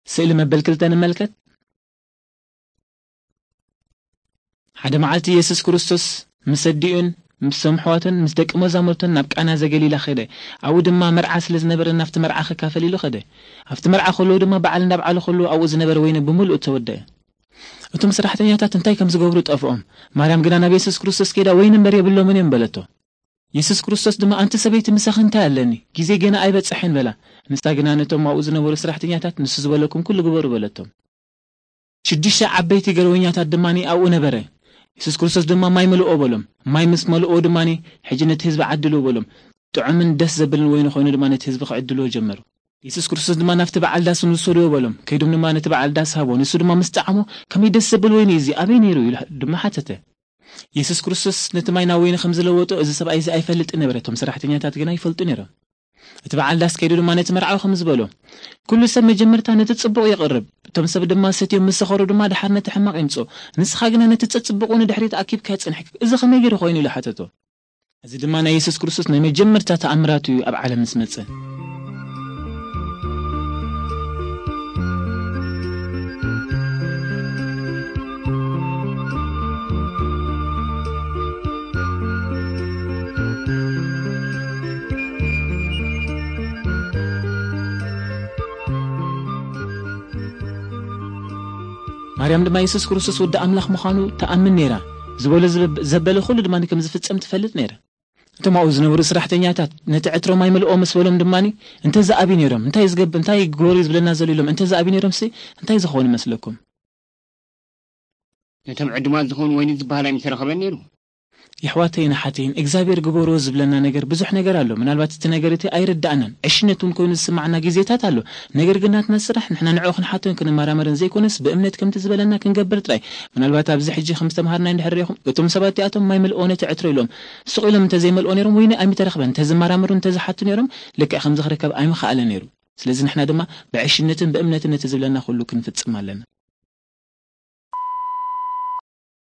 ስእሊ መበል ክልተ ንመልከት። ሓደ መዓልቲ የሱስ ክርስቶስ ምስ ኣዲኡን ምስ ኣሕዋቱን ምስ ደቂ መዛሙርቱን ናብ ቃና ዘገሊላ ከደ። ኣብኡ ድማ መርዓ ስለ ዝነበረ ናብቲ መርዓ ክካፈል ኢሉ ከደ። ኣብቲ መርዓ ከለዉ ድማ በዓል እንዳብዓሉ ከለዉ ኣብኡ ዝነበረ ወይኒ ብምሉኡ ተወደአ። እቶም ሰራሕተኛታት እንታይ ከም ዝገብሩ ጠፍኦም። ማርያም ግና ናብ የሱስ ክርስቶስ ከይዳ ወይኒ እምበር የብሎምን እዮም በለቶ። የሱስ ክርስቶስ ድማ ኣንቲ ሰበይቲ ምሳኺ እንታይ ኣለኒ? ግዜ ገና ኣይበጽሐን በላ። ንሳ ግና ነቶም ኣብኡ ዝነበሩ ሰራሕተኛታት ንሱ ዝበለኩም ኩሉ ግበሩ በለቶም። ሽዱሽተ ዓበይቲ ገረወኛታት ድማ ኣብኡ ነበረ። የሱስ ክርስቶስ ድማ ማይ መልኦ በሎም። ማይ ምስ መልኦ ድማ ሕጂ ነቲ ህዝቢ ዓድሉ በሎም። ጥዑምን ደስ ዘብልን ወይኒ ኮይኑ ድማ ነቲ ህዝቢ ክዕድልዎ ጀመሩ። የሱስ ክርስቶስ ድማ ናብቲ በዓል ዳስ ንውሰድዎ በሎም። ከይዶም ድማ ነቲ በዓል ዳስ ሃቦ። ንሱ ድማ ምስ ጣዕሞ ከመይ ደስ ዘብል ወይኒ እዚ ኣበይ ነይሩ ኢሉ ድማ ሓተተ። የሱስ ክርስቶስ ነቲ ማይ ናብ ወይኒ ከም ዝለወጦ እዚ ሰብኣይ እዚ ኣይፈልጥን ነበረ። እቶም ሰራሕተኛታት ግና ይፈልጡ ነይሮም። እቲ በዓል ዳስ ከይዱ ድማ ነቲ መርዓዊ ከም ዝበሎ፣ ኩሉ ሰብ መጀመርታ ነቲ ጽቡቕ የቕርብ፣ እቶም ሰብ ድማ ሰትዮም ምስ ሰኸሩ ድማ ድሓር ነቲ ሕማቕ የምጽኦ። ንስኻ ግና ነቲ ጸጽቡቑ ንድሕሪት ኣኪብካ ጽንሕ። እዚ ከመይ ገይሩ ኮይኑ ኢሉ ሓተቶ። እዚ ድማ ናይ የሱስ ክርስቶስ ናይ መጀመርታ ተኣምራቱ እዩ ኣብ ዓለም ምስ መጸ። ማርያም ድማ የሱስ ክርስቶስ ወዲ ኣምላኽ ምዃኑ ትኣምን ነይራ። ዝበሎ ዝብ-፣ ዘበለ ኩሉ ድማ ከም ዝፍጸም ትፈልጥ ነይራ። እቶም ኣብኡ ዝነበሩ ሰራሕተኛታት ነቲ ዕትሮ ማይ መልኦ ምስ በሎም ድማ፣ "እንተ ዝኣቢ ነይሮም፣ እንታይ ዝገብ-፣ እንታይ ግበሩ ዝብለና ዘሎ?" ኢሎም እንተ ዝኣቢ ነይሮም ሲ እንታይ ዝኸውን ይመስለኩም? ነቶም ዕዱማት ዝኾኑ ወይኒ ዝበሃል ኣይምተረኸበን ነይሩ። የሕዋተይን ኣሓተይን፣ እግዚኣብሔር ግበርዎ ዝብለና ነገር ብዙሕ ነገር ኣሎ። ምናልባት እቲ ነገር እቲ ኣይርዳእናን፣ ዕሽነት እውን ኮይኑ ዝስማዓና ግዜታት ኣሎ። ነገር ግን ናትና ስራሕ፣ ንሕና ንዕኡ ክንሓቶን ክንመራመርን ዘይኮነስ፣ ብእምነት ከምቲ ዝበለና ክንገብር ጥራይ። ምናልባት ኣብዚ ሕጂ ከም ዝተምሃርና እንድሕር ርኢኹም፣ እቶም ሰባት እቲኣቶም ማይ መልኦ ነቲ ዕትሮ ኢሎም፣ ስቕ ኢሎም እንተዘይመልኦ ነይሮም፣ ወይኒ ኣይምተረኽበን፣ እንተዝመራመሩ፣ እንተዝሓቱ ነይሮም፣ ልክዕ ከምዚ ክርከብ ኣይምኸኣለ ነይሩ። ስለዚ ንሕና ድማ ብዕሽነትን ብእምነትን ነቲ ዝብለና ኩሉ ክንፍጽም ኣለና።